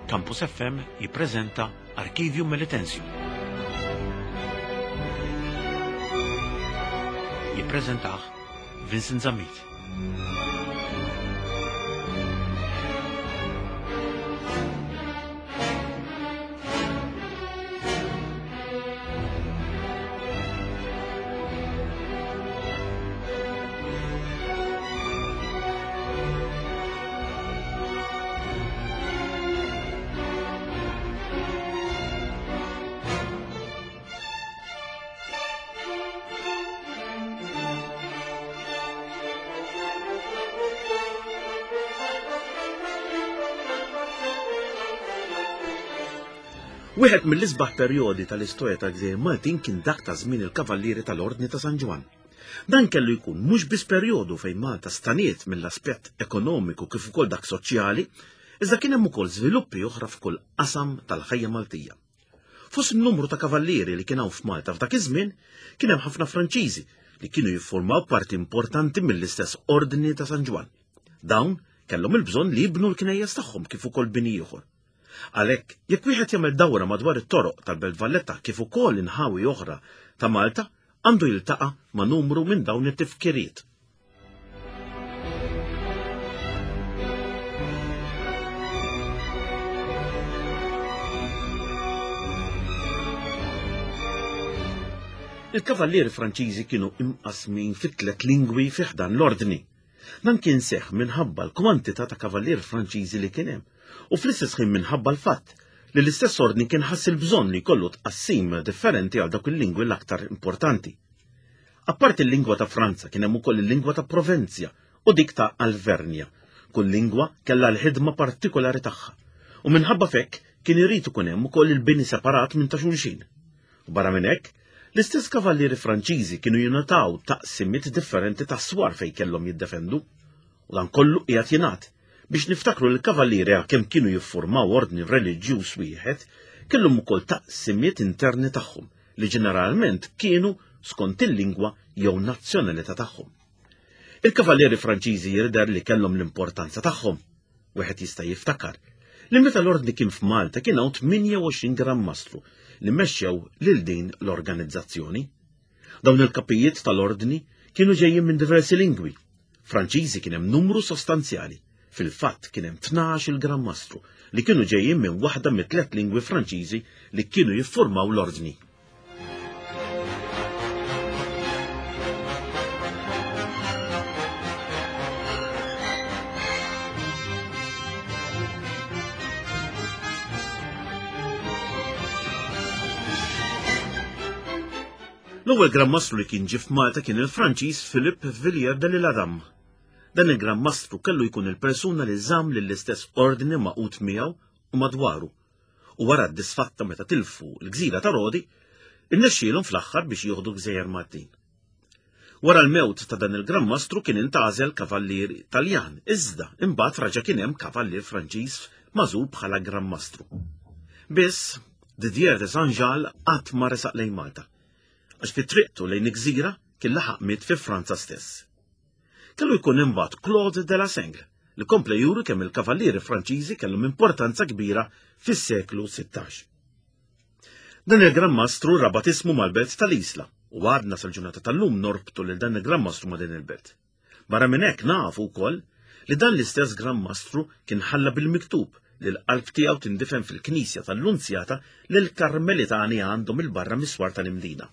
Campus FM jippreżenta Archivju Melitensium. Jippreżentah Vincent Zammit. Wieħed mill-isbaħ perjodi tal-istorja tal-Gżejjer Maltin kien dak ta' żmien il-Kavallieri tal-Ordni ta' San Ġwann. Dan kellu jkun mhux biss perjodu fejn Malta staniet mill-aspett ekonomiku kif ukoll dak soċjali, iżda kien hemm ukoll żviluppi oħra f'kull qasam tal-ħajja Maltija. Fost in-numru ta' kavallieri li kien hawn f'Malta f'dak iż-żmien, kien hemm ħafna Franċiżi li kienu jiffurmaw parti importanti mill-istess Ordni ta' San Ġwann. Dawn kellhom il-bżonn li jibnu l-knejjes tagħhom kif ukoll bini ieħor. Għalhekk, jekk wieħed jagħmel dawra madwar it-toroq tal-Belt Valletta kif ukoll inħawi oħra ta' Malta, għandu jiltaqa' ma' numru minn dawn it-tifkiriet. Il-kavallieri Franċiżi kienu imqasmin fi tlet lingwi fi ħdan l-ordni. Dan kien seħ minħabba l-kwantità ta' kavallieri Franċiżi li kien hemm u fl-istess ħin minħabba l-fatt li l-istess ordni kien ħass il-bżonn li jkollu tqassim differenti għal dawk il-lingwi l-aktar importanti. Apparti l-lingwa ta' Franza kien hemm ukoll il-lingwa ta' Provenzja u dik ta' Alvernja. Kull lingwa kellha l-ħidma partikolari tagħha. U minħabba f'hekk kien irid ikun hemm ukoll il-bini separat minn ta' xulxin. U barra minn hekk, l-istess kavallieri Franċiżi kienu jingħataw taqsimiet differenti ta' swar fejn kellhom jiddefendu. U dan kollu qiegħed jingħad biex niftakru li l-kavallieri għalkemm kienu jiffurmaw ordni reliġjuż wieħed, kellhom ukoll taqsimiet interni tagħhom li ġeneralment kienu skont il-lingwa jew nazzjonalità tagħhom. Il-kavallieri Franċiżi jidher li kellhom l-importanza tagħhom. Wieħed jista' jiftakar li meta l-ordni kien f'Malta kien hawn 28 Gran Mastru li mexxew lil din l-organizzazzjoni. Dawn il-kapijiet tal-ordni kienu ġejjin minn diversi lingwi. Franċiżi kien hemm numru sostanzjali. Fil-fatt kien hemm 12 il-Gran Mastru li kienu ġejjin minn waħda mit-tlet lingwi Franċiżi li kienu jiffurmaw l-ordni. L-ewwel Gran Mastru li kien ġie f'Malta kien il-Franċiż Philippe Villiers de l'Isle-Adam. Dan il-Gran Mastru kellu jkun il-persuna li żamm lill-istess ordni magħqud miegħu u madwaru, u wara d-disfatta meta tilfu l-gżira ta' Rodi, irnexxielhom fl-aħħar biex jieħdu gżejjer Maltin. Wara l-mewt ta' dan il-Gran Mastru kien intgħażel kavallier Taljan, iżda imbagħad raġa' kien hemm kavallier Franċiż magħżul bħala Gran Mastru. Biss, Didier de Saint-Jal qatt ma resaq lejn Malta, għax fi triqtu lejn il-gżira kien laħaq miet fi Franza stess. Kellu jkun imbagħad Claude de la Sengle li kompla juri kemm il-kavallieri Franċiżi kellhom importanza kbira fis-seklu 16. Dan il-Gran Mastru rabat ismu mal-belt tal-Isla u għadna sal-ġurnata tal-lum norbtu lil dan il-Gran Mastru ma' din il-belt. Barra minn hekk nafu wkoll li dan l-istess Gran Mastru kien ħalla bil-miktub li l-qalb tiegħu tindifen fil-knisja tal-Lunzjata li l-Karmelitani għandhom il-barra mis-swar tal-Imdina.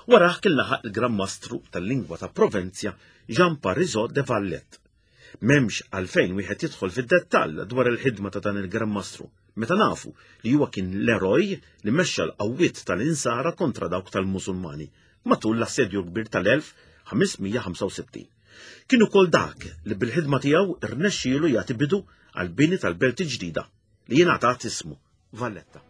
Warah kien laħaq il-Gran Mastru tal-lingwa ta' Provenzja Jean Parisot de Vallet. M'hemmx għalfejn wieħed jidħol fid-dettall dwar il-ħidma ta' dan il-Gran Mastru, meta nafu li huwa kien l-eroj li mexxa l-qawwiet tal-Insara kontra dawk tal-Musulmani matul l-Assedju l-Kbir tal-1565. Kien ukoll dak li bil-ħidma tiegħu rnexxielu jagħti bidu għall-bini tal-belt il-ġdida li jingħatat ismu Valletta.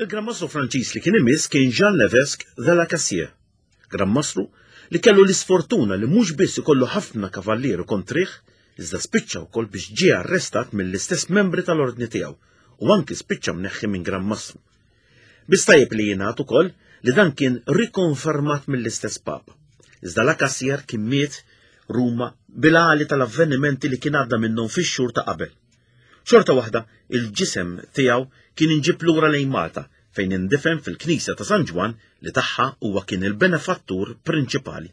Il-Gran Mastru Franċiż li kien imiss kien Jean Levesque de la Cassier, Gran Mastru li kellu l-isfortuna li mhux biss ikollu ħafna kavallieri kontrih, iżda spiċċa wkoll biex ġie arrestat mill-istess membri tal-ordni tiegħu. u anki spiċċa mneħħi minn Gran Mastru. Biss tajjeb li jingħad ukoll li dan kien rikonfermat mill-istess Papa. Iżda La Cassier kien miet Ruma bil-għali tal-avvenimenti li kien għadda minnhom fix-xhur ta' qabel. Xorta waħda, il-ġisem tiegħu kien inġib lura lejn Malta fejn indifen fil-Knisja ta' San Ġwann li tagħha huwa kien il-benefattur prinċipali.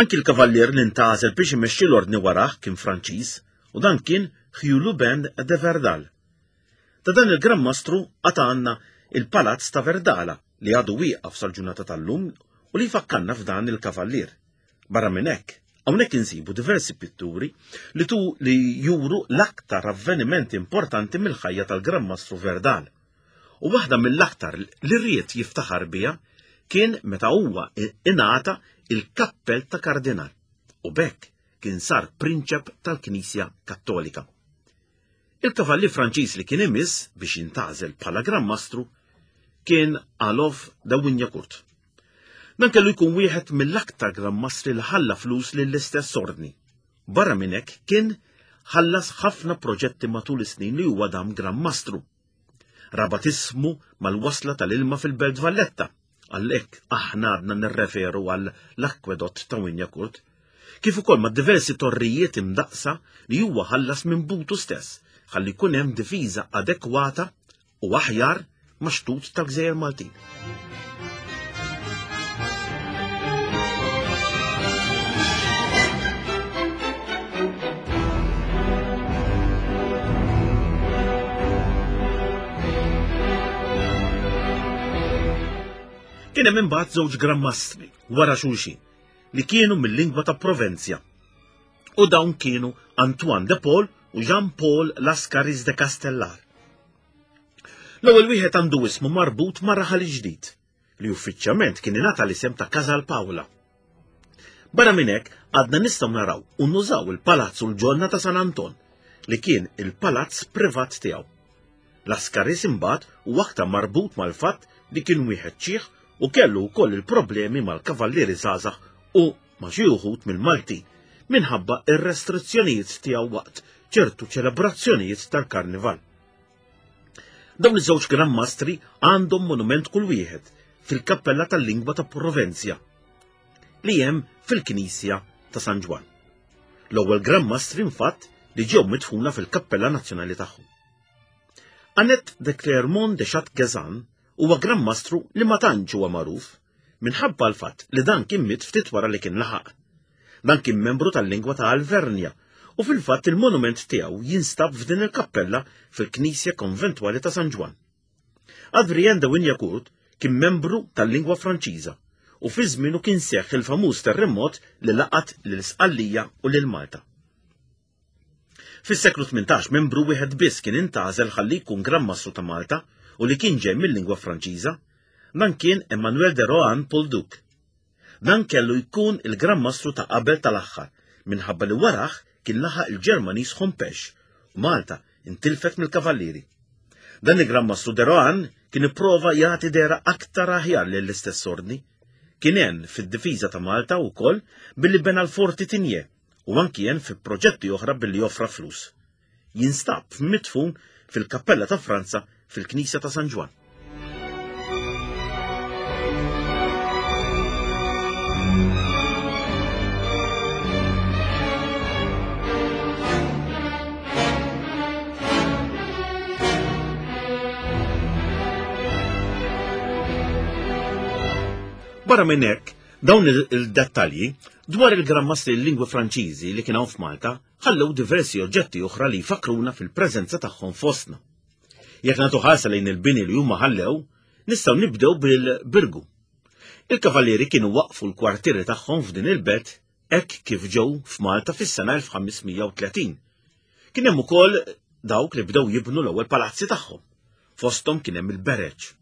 Anki l-kavallier li ntgħażel biex imexxi l-ordni warah kien Franċiż u dan kien Hugh Lubin de Verdal. Ta' dan il-Gran Mastru għad għandna il-Palazz ta' Verdala li għadu wieqaf sal-ġurnata tal-lum u li jfakkarna f'dan il-kavallier. Barra minn hekk, hawnhekk insibu diversi pitturi li tu li juru l-aktar avvenimenti importanti mill-ħajja tal-Gran Mastru Verdal. U waħda mill-aktar li ried jiftaħar biha kien meta huwa ingħata il-kappell ta' kardinal u b'hekk kien sar prinċep tal-Knisja Kattolika. Il-kavalli Franċiż li kien imiss biex jintgħażel bħala Gran Mastru kien Alof de Wignacourt. Dan kellu jkun wieħed mill-aktar Gran Mastri li ħalla flus lill-istess ordni. Barra minn hekk kien ħallas ħafna proġetti matul is-snin li huwa dam Gran Mastru. Rabat ismu mal-wasla tal-ilma fil-Belt Valletta, għalhekk aħna għadna nirreferu għal l-akwedott ta' Wignacourt, kif ukoll ma' diversi torrijiet imdaqqsa li huwa ħallas minn butu stess ħalli jkun hemm difiża adekwata u aħjar max-xtut tal-Gżejjer Maltin. Kien hemm imbagħad żewġ Gran Mastri wara xulxin li kienu mill-lingwa ta' Provenzja. U dawn kienu Antoine de Paul u Jean-Paul Lascaris de Castellar. L-ewwel wieħed għandu ismu marbut ma' raħal ġdid li uffiċjalment kien ingħata l-isem ta' Casal Paola. Barra minn hekk għadna nistgħu naraw u nużaw il-palazz u l-ġonna ta' San Anton li kien il-palazz privat tiegħu. Lascaris imbagħad huwa aktar marbut mal-fatt li kien wieħed ċieħ u kellu wkoll il-problemi mal-kavallieri żgħażagħ u ma' xi wħud mill-Maltin minħabba r-restrizzjonijiet tiegħu waqt ċertu ċelebrazzjonijiet tal-Karnival. Dawn iż-żewġ Gran Mastri għandhom monument kull wieħed fil-Kappella tal-Lingwa ta' Provenzja li hemm fil-Knisja ta' San Ġwann. L-ewwel Gran Mastri infatt li ġew midfuna fil-Kappella Nazzjonali tagħhom. Annette de Clermont de Chatgazan huwa Gran Mastru li ma tantx huwa magħruf minħabba l-fatt li dan kien miet ftit wara li kien laħaq. Dan kien membru tal-lingwa ta' Alvernja u fil-fatt il-monument tiegħu jinstab f'din il-kappella fil-Knisja Konventwali ta' San Ġwann. Adrien de Wignacourt kien membru tal-lingwa Franċiża u fi żmienu kien seħħ il-famuż terremot li laqat lil Sqallija u lil Malta. Fis-seklu 18 membru wieħed biss kien intgħażel ħalli jkun Gran Mastru ta' Malta u li kien ġej mil-lingwa Franċiża. Dan kien Emmanuel de Rohan Polduc. Dan kellu jkun il-Gran Mastru ta' qabel tal-aħħar minħabba li warah kien laħaq il-Ġermaniż Hompesch u Malta intilfet mill-Kavallieri. Dan il-Gran Mastru de Rohan kien ipprova jagħti dehra aktar aħjar lill-istess ordni. Kien għen fid-difiża ta' Malta wkoll billi bena l-Forti Tigné u anki għen fi proġetti oħra billi offra flus. Jinstab midfun fil-Kappella ta' Franza fil-Knisja ta' San Ġwann. Barra minn hekk, Dawn il-dettalji dwar il-Gran Mastri l-lingwi Franċiżi li kien hawn f'Malta ħallew diversi oġġetti oħra li jfakkruna fil-preżenza tagħhom fostna. Jekk nagħtu ħarsa lejn il-bini li huma ħallew, nistgħu nibdew bil-Birgu. Il-Kavallieri kienu waqqfu l-kwartieri tagħhom f'din il-belt hekk kif ġew f'Malta fis-sena 1530. Kien hemm ukoll dawk li bdew jibnu l-ewwel palazzi tagħhom. Fosthom kien hemm il-Bereġ.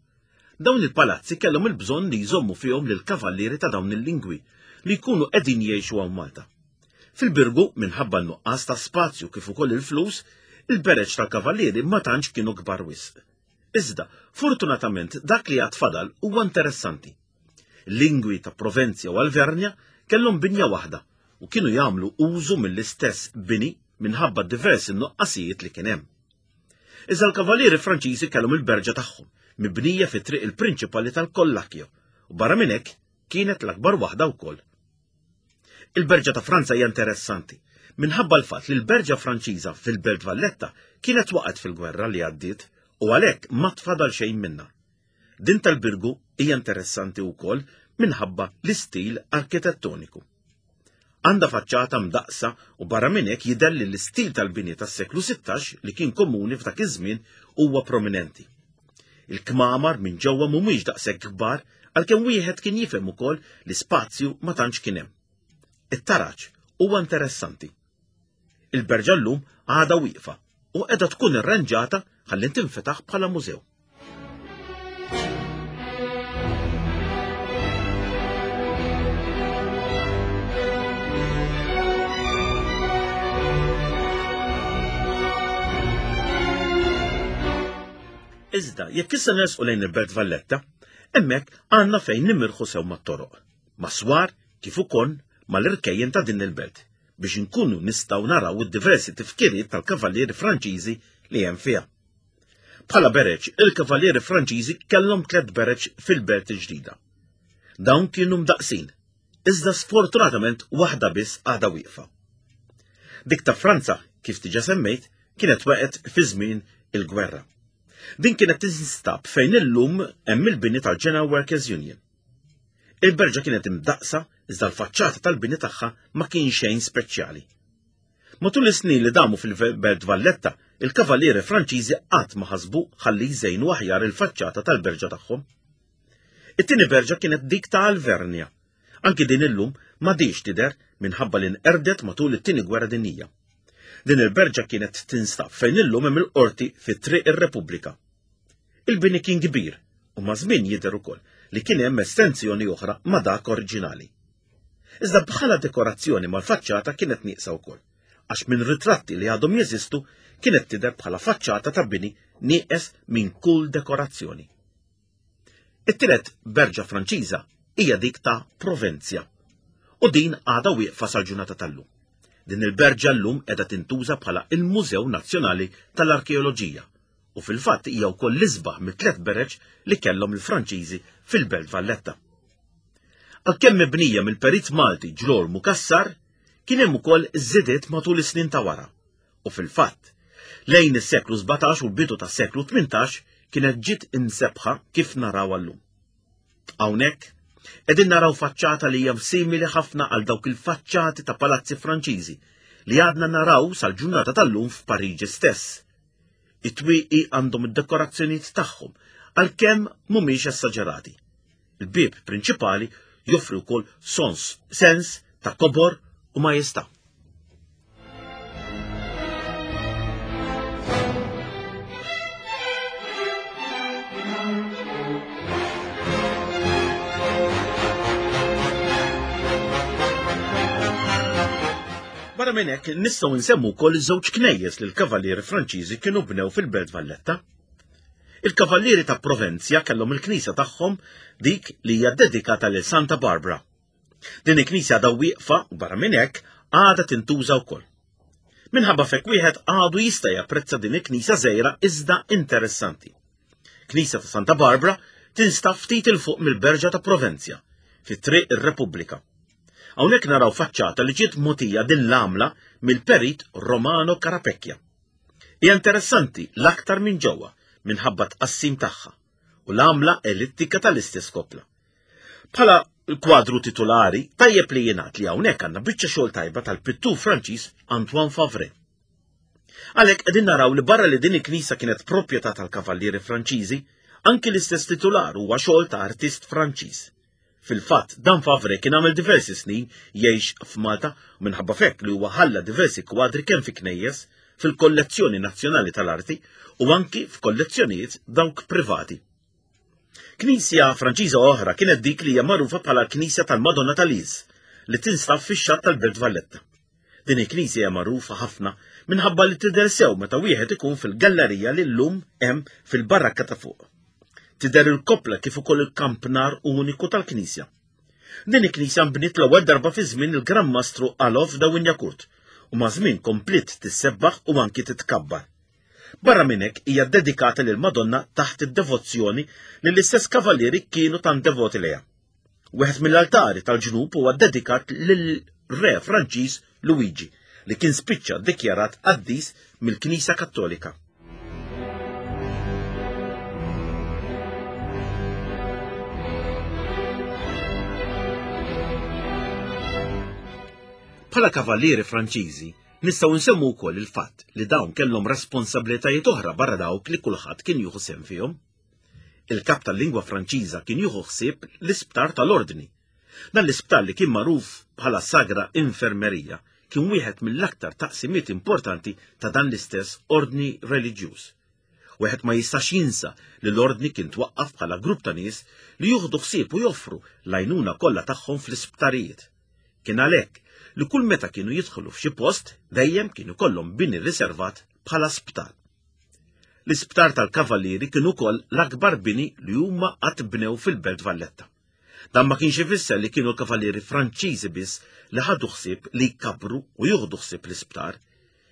Dawn il-palazzi kellhom il-bżonn li jżommu fihom lill-kavallieri ta' dawn il-lingwi li jkunu qegħdin jgħixu hawn Malta. Fil-Birgu, minħabba n-nuqqas ta' spazju kif ukoll il-flus, il-bereġ tal-kavallieri ma tantx kienu kbar wisq. Iżda, fortunatament dak li għad fadal huwa interessanti. Lingwi ta' Provenzja u Alvernja kellhom binja waħda u kienu jagħmlu użu mill-istess bini minħabba diversi nuqqasijiet li kien hemm. Iżda l-Kavallieri Franċiżi kellhom il-berġa tagħhom, mibnija fi triq il-prinċipali tal-Kollakjo, u barra minn hekk kienet l-akbar waħda wkoll. Il-Berġa ta' Franza hija interessanti minħabba l-fatt li l-Berġa Franċiża fil-Belt Valletta kienet waqgħet fil-gwerra li għaddiet u għalhekk ma tfadal xejn minnha. Din tal-Birgu hija interessanti wkoll minħabba l-istil arkitettoniku. Għandha faċċata mdaqqsa u barra minn hekk jidher li l-istil tal-bini tas-seklu 16 li kien komuni f'dak iż-żmien huwa prominenti. Il-kmamar minn ġewwa mhumiex daqshekk kbar għalkemm wieħed kien jifhem ukoll li spazju ma tantx kien hemm. It-taraġ huwa interessanti. Il-berġa llum għadha wieqfa u qiegħda tkun irranġata ħalli tinfetaħ bħala mużew. Iżda, jekk issa nersqu lejn il-Belt Valletta, hemmhekk għandna fejn nimirħu sew mat-toroq, mas-swar kif ukoll mal-irkejjen ta' din il-belt biex inkunu nistgħu naraw id-diversi tifkiriet tal-kavallieri Franċiżi li hemm fiha. Bħala bereġ, il-kavallieri Franċiżi kellhom tlett bereġ fil-belt il-ġdida. Dawn kienu mdaqqsin, iżda sfortunatament waħda biss għadha wieqfa. Dik ta' Franza, kif diġà semmejt, kienet waqgħet fi żmien il-gwerra. Din kienet tinstab fejn illum hemm il-bini tal-General Workers Union. Il-berġa kienet imdaqqsa iżda l-faċċata tal-bini tagħha ma kien xejn speċjali. Matul is-snin li damu fil-Belt Valletta, il-Kavallieri Franċiżi qatt ma ħasbu ħalli jżejnu aħjar il-faċċata tal-berġa tagħhom. It-tieni berġa kienet dik ta' Alvernia. Anki din illum m'għadhiex tidher minħabba li nqerdet matul it-Tieni Gwerra Dinjija. Din il-berġa kienet tinstab fejn illum hemm il-qorti fi Triq ir-Repubblika. Il-bini kien kbir u maż-żmien jidher ukoll li kien hemm estensjoni oħra ma' dak oriġinali. Iżda bħala dekorazzjoni mal-faċċata kienet nieqsa wkoll, għax minn ritratti li għadhom jeżistu kienet tidher bħala faċċata ta' bini nieqes minn kull dekorazzjoni. It-tielet berġa Franċiża hija dik ta' Provenzja u din għadha wieqfa sal-ġurnata tal-lum. Din il-berġa llum qiegħda tintuża bħala il-Mużew Nazzjonali tal-Arkeoloġija u fil-fatt hija wkoll l-isbaħ mit-tliet bereġ li kellhom il-Franċiżi fil-Belt Valletta. Għalkemm mibnija mill-perit Malti Ġlormu Cassar, kien hemm ukoll żidiet matul is-snin ta' wara u fil-fatt, lejn is-seklu 17 u l-bidu tas-seklu 18 kienet ġiet imsebbħa kif narawha llum. Hawnhekk qegħdin naraw faċċata li hija simili ħafna għal dawk il-faċċati ta' palazzi Franċiżi li għadna naraw sal-ġurnata tal-lum f'Pariġi stess. It-twieqi għandhom id-dekorazzjonijiet tagħhom għalkemm mhumiex essaġerati. Il-bieb prinċipali joffri wkoll sons, sens ta' kobor u majestà. Barra minn hekk nistgħu nsemmu wkoll żewġ knejjes li l-Kavallieri Franċiżi kienu bnew fil-Belt Valletta. Il-Kavallieri ta' Provenzja kellhom il-knisja tagħhom dik li hija dedikata lil Santa Barbara. Din il-knisja għadha wieqfa u barra minn hekk għadha tintuża wkoll. Minħabba f'hekk wieħed għadu jista' japprezza din il-knisja żgħira iżda interessanti. Knisja ta' Santa Barbara tinstab ftit 'il fuq mill-Berġa ta' Provenzja, fi Triq ir-Repubblika. Hawnhekk naraw faċċata li ġiet mogħtija din l-għamla mill-perit Romano Carapecchia. Hija interessanti l-aktar minn ġewwa minħabba tqassim tagħha u l-għamla ellittika tal-istess koppla. Bħala l-kwadru titulari, tajjeb li jingħad li hawnhekk għandna biċċa xogħol tajba tal-pittur Franċiż Antoine Favre. Għalhekk qegħdin naraw li barra li din il-knisja kienet proprjetà tal-Kavallieri Franċiżi, anki l-istess titular huwa xogħol ta' artist Franċiż. Fil-fatt, dan Favre kien għamel diversi snin jgħix f'Malta u minħabba f'hekk li huwa ħalla diversi kwadri kemm fi knejjes, fil-kollezzjoni nazzjonali tal-arti u anki f'kollezzjonijiet dawk privati. Knisja Franċiża oħra kienet dik li hija magħrufa bħala l-Knisja tal-Madonna ta' Liz li tinstab fix-xatt tal-Belt Valletta. Din il-knisja hija magħrufa ħafna minħabba li tidher sew meta wieħed ikun fil-gallerija li llum hemm fil-barrakka ta' fuq. Tidher il-koppla kif ukoll il-kampnar uniku tal-knisja. Din il-knisja nbniet l-ewwel darba fi żmien il-Gran Mastru Alof da Wignacourt u maż-żmien kompliet tissebbaħ u anki titkabbar. Barra minn hekk hija ddedikata lil Madonna taħt id-devozzjoni li l-istess kavallieri kienu tant devoti lejha. Wieħed mill-altari tal-ġnub huwa ddedikat lil Re Franċiż Luigi li kien spiċċa ddikjarat qaddis mill-Knisja Kattolika. Bħala kavallieri Franċiżi, nistgħu nsemmu wkoll il-fatt li dawn kellhom responsabilitajiet oħra barra dawk li kulħadd kien jieħu sehem fihom. Il-kap tal-lingwa Franċiża kien jieħu ħsieb l-isptar tal-Ordni. Dan l-isptar li kien magħruf bħala Sagra Infermerija kien wieħed mill-aktar taqsimiet importanti ta' dan l-istess ordni reliġjuż. Wieħed ma jistax jinsa li l-ordni kien twaqqaf bħala grupp ta' nies li jieħdu ħsieb u joffru l-għajnuna kollha tagħhom fl-isptarijiet. Kien għalhekk li kull meta kienu jidħlu f'xi post dejjem kien ikollhom bini riservat bħala sptar. L-isptar tal-Kavallieri kien ukoll l-akbar bini li huma qatt bnew fil-Belt Valletta. Dan ma kienx ifisser li kienu l-Kavallieri Franċiżi biss li ħadu ħsieb li jkabbru u jieħdu ħsieb l-isptar.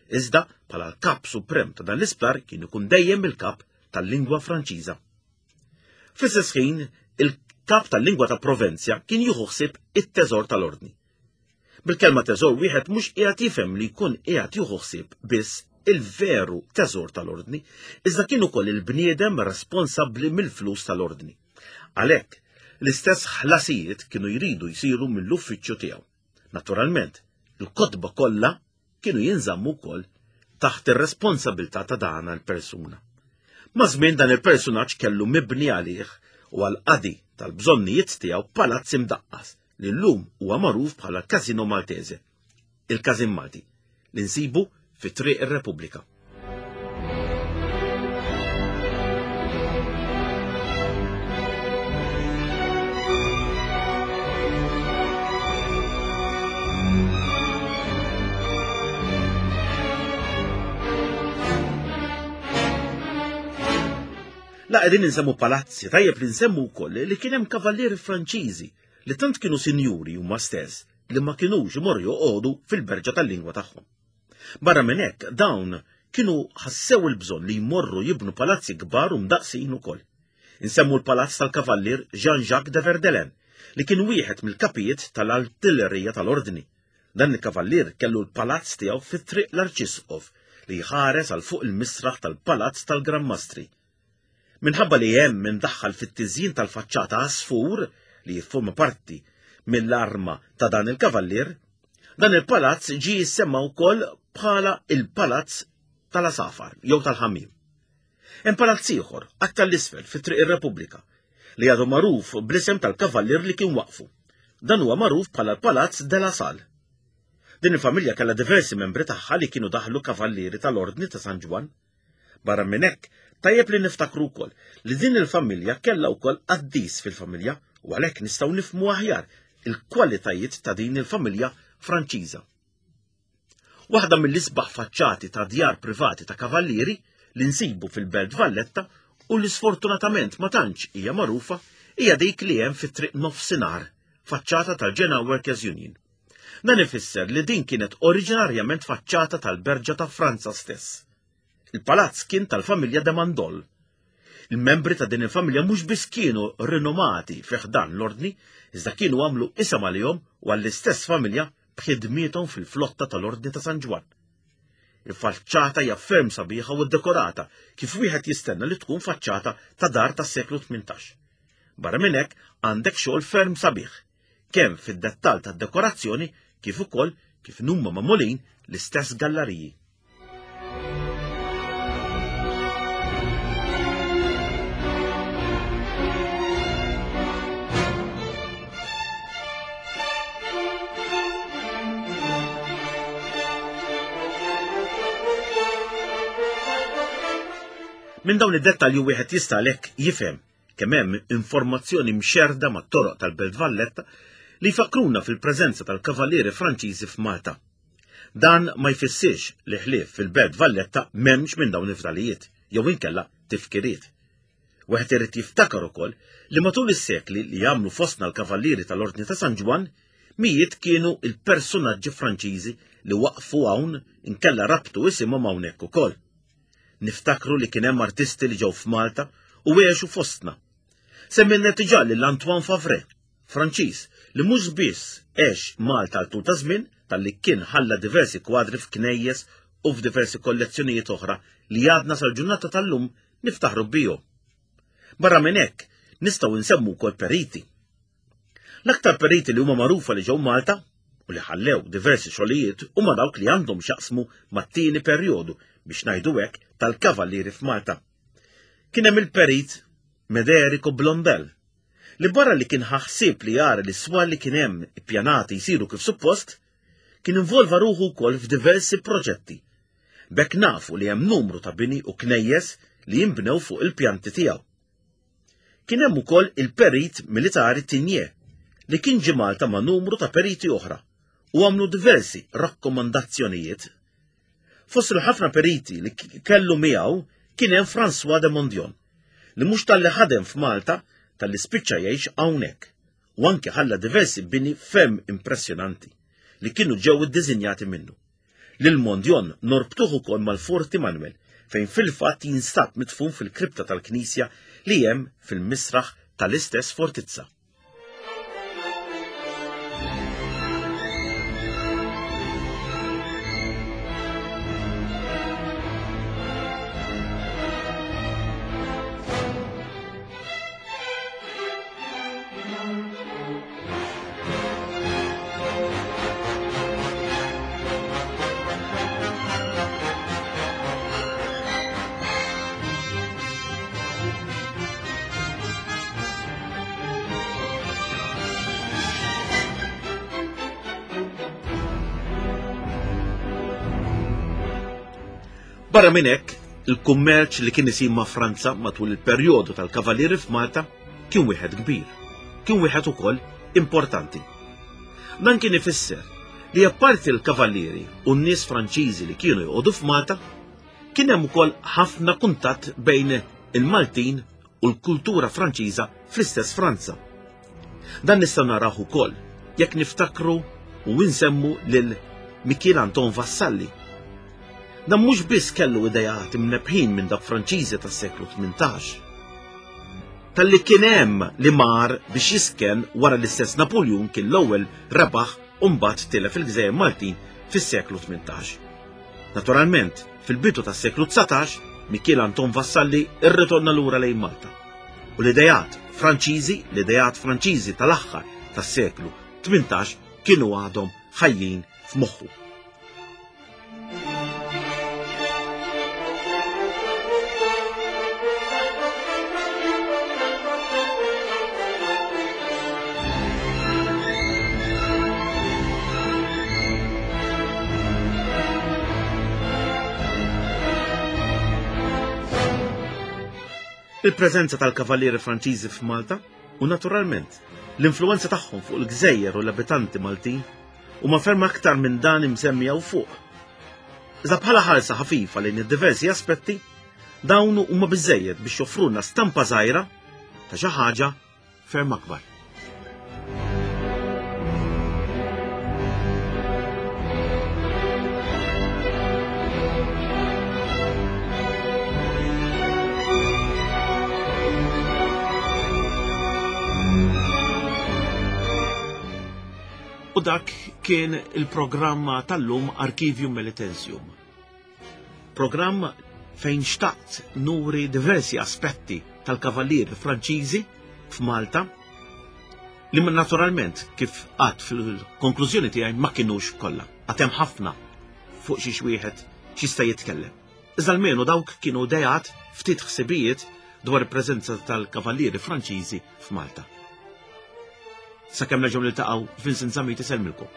Iżda bħala l-kap suprem ta' dan l-isptar kien ikun dejjem il-kap tal-lingwa Franċiża. Fl-istess ħin, il-kap tal-lingwa ta' Provenzja kien jieħu ħsieb it-teżor tal-ordni. Bil-kelma teżor wieħed mhux qiegħed jifhem li jkun qiegħed jieħu ħsieb biss il-veru teżor tal-ordni, iżda kien ukoll il-bniedem responsabbli mill-flus tal-ordni. Għalhekk, l-istess ħlasijiet kienu jridu jsiru mill-uffiċċju tiegħu. Naturalment, il-kotba kollha kienu jinżammu wkoll taħt ir-responsabilità ta' dana l-persuna. Ma' żmien dan il-persunaġġ kellu mibni għalih u għal qadi tal-bżonnijiet tiegħu palazz imdaqqas li llum huwa magħruf bħala Casino Maltese, il-Każin Malti, li nsibu fi Triq ir-Repubblika. La qegħdin insemmu palazzi, tajjeb li nsemmu wkoll li kien hemm kavallieri Franċiżi li tant kienu sinjuri huma stess li ma kinux imorru joqogħdu fil-berġa tal-lingwa tagħhom. Barra minn hekk, dawn kienu ħassew il-bżonn li jmorru jibnu palazzi kbar u mdaqqsin ukoll. Insemmu l-palazz tal-kavallier Jean-Jacques de Verdelen, li kien wieħed mill-kapijiet tal-artillerija tal-Ordni. Dan il-kavallier kellu l-palazz tiegħu fi Triq l-Arċisqof li jħares għal fuq il-misraħ tal-palazz tal-Gran Mastri. Minħabba li hemm imdaħħal fit-tiżjin tal-faċċata għasfur li jifforma parti mill-arma ta' dan il-kavallier, dan il-palazz ġie jissemma wkoll bħala il-Palazz tal-Asafar jew tal-Ħamiem. Hemm palazz ieħor aktar l-isfel fi Triq ir-Repubblika li għadu magħruf bl-isem tal-kavallier li kien waqfu. Dan huwa magħruf bħala l-Palazz de la Salle. Din il-familja kellha diversi membri tagħha li kienu daħlu kavallieri tal-Ordni ta' San Ġwann. Barra minn hekk, tajjeb li niftakru wkoll li din il-familja kellha wkoll qaddis fil-familja u għalhekk nistgħu nifhmu aħjar il-kwalitajiet ta' din il-familja Franċiża. Waħda mill-isbaħ faċċati ta' djar privati ta' kavallieri li nsibu fil-Belt Valletta u li sfortunatament ma tantx hija magħrufa hija dik li hemm fit-triq nofsinhar, faċċata tal-Genoa Workers Union. Dan ifisser li din kienet oriġinarjament faċċata tal-Berġa ta' Franza stess. Il-palazz kien tal-familja de Mandol. Il-membri ta' din il-familja mhux biss kienu rinomati fi ħdan l-ordni, iżda kienu għamlu isem għalihom u għall-istess familja b'ħidmiethom fil-flotta tal-Ordni ta' San Ġwann. Il-faċċata hija ferm sabiħa u ddekorata kif wieħed jistenna li tkun faċċata ta' dar tas-seklu 18. Barra minn hekk għandek xogħol ferm sabiħ kemm fid-dettall tad-dekorazzjoni kif ukoll kif inhuma magħmulin l-istess gallariji. Minn dawn id-dettalji wieħed jista' għalhekk jifhem kemm hemm informazzjoni mxerrda mat-toroq tal-Belt Valletta li jfakkruna fil-preżenza tal-Kavallieri Franċiżi f'Malta. Dan ma jfissirx li ħlief fil-Belt Valletta m'hemmx minn dawn il-fdalijiet jew inkella tifkiriet. Wieħed irid jiftakar ukoll li matul is-sekli li għamlu fostna l-Kavallieri tal-Ordni ta' San Ġwann, mijiet kienu il-persunaġġi Franċiżi li waqfu hawn inkella rabtu isimhom hawnhekk ukoll. Niftakru li kien hemm artisti li ġew f'Malta u għexu fostna. Semmejna diġà lil Antoine Favre, Franċiż, li mhux biss għex Malta għal tul ta' żmien, talli kien ħalla diversi kwadri f'knejjes u f'diversi kollezzjonijiet oħra li għadna sal-ġurnata tal-lum niftaħru bihom. Barra minn hekk, nistgħu nsemmu wkoll periti. L-aktar periti li huma magħrufa li ġew Malta u li ħallew diversi xogħlijiet huma dawk li għandhom x'jaqsmu mat-tieni perjodu biex ngħidu hekk tal-kavallieri f'Malta. Kien hemm il-perit Mederico Blondel, li barra li kien ħa ħsieb li jara li s-swar li kien hemm ippjanati jsiru kif suppost, kien involva ruħu wkoll f'diversi proġetti. B'hekk nafu li hemm numru ta' bini u knejjes li jinbnew fuq il-pjanti tiegħu. Kien hemm ukoll il-perit militari Tigné li kien ġie Malta ma' numru ta' periti oħra u għamlu diversi rakkomandazzjonijiet. Fost il-ħafna periti li kellu miegħu kien hemm François de Mondion, li mhux talli ħadem f'Malta talli spiċċa jgħix hawnhekk u anke ħalla diversi bini ferm impressjonanti li kienu ġew iddiżinjati minnu. Lil Mondion norbtuh ukoll mal-Forti Manuel fejn fil-fatt jinsab midfun fil-kripta tal-knisja li hemm fil-misraħ tal-istess fortizza. Barra minn hekk, il-kummerċ li kien isir ma' Franza matul il-perjodu tal-Kavallieri f'Malta kien wieħed kbir. Kien wieħed ukoll importanti. Dan kien ifisser li apparti l-Kavallieri u n-nies Franċiżi li kienu joqogħdu f'Malta, kien hemm ukoll ħafna kuntatt bejn il-Maltin u l-kultura Franċiża fl-istess Franza. Dan nistgħu narawh ukoll jekk niftakru u nsemmu lil Mikiel Anton Vassalli. Dan mhux biss kellu ideat imnebbħin minn dawk Franċiżi tas-seklu 18. Talli kien hemm li mar biex jisken wara l-istess Napuljun kien l-ewwel rebaħ u mbagħad tilef il-gżejjer Maltin fis-seklu 18. Naturalment, fil-bidu tas-seklu 19, Mikiel Anton Vassalli rritorna lura lejn Malta. U l-ideat Franċiżi, l-ideat Franċiżi tal-aħħar tas-seklu 18 kienu għadhom ħajjin f'moħħu. Il-preżenza tal-Kavallieri Franċiżi f'Malta u naturalment l-influenza tagħhom fuq il-gżejjer u l-abitanti Maltin huma ferm aktar minn dan imsemmi hawn fuq. Iżda bħala ħarsa ħafifa lejn id-diversi aspetti, dawn huma biżejjed biex joffrulna stampa żgħira ta' xi ħaġa ferm akbar. U dak kien il-programma tal-lum Archivium Melitensium. Programm fejn xtaqt nuri diversi aspetti tal-kavallieri Franċiżi f'Malta li naturalment kif għad fil-konklużjoni tiegħi ma kinux kollha. Għad hemm ħafna fuq xiex wieħed x'jista' jitkellem. Iżda almenu dawk kienu dejat ftit ħsibijiet dwar il-preżenza tal-kavallieri Franċiżi f'Malta. Sakemm nerġgħu niltaqgħu Vincent Zammit isellmilkom.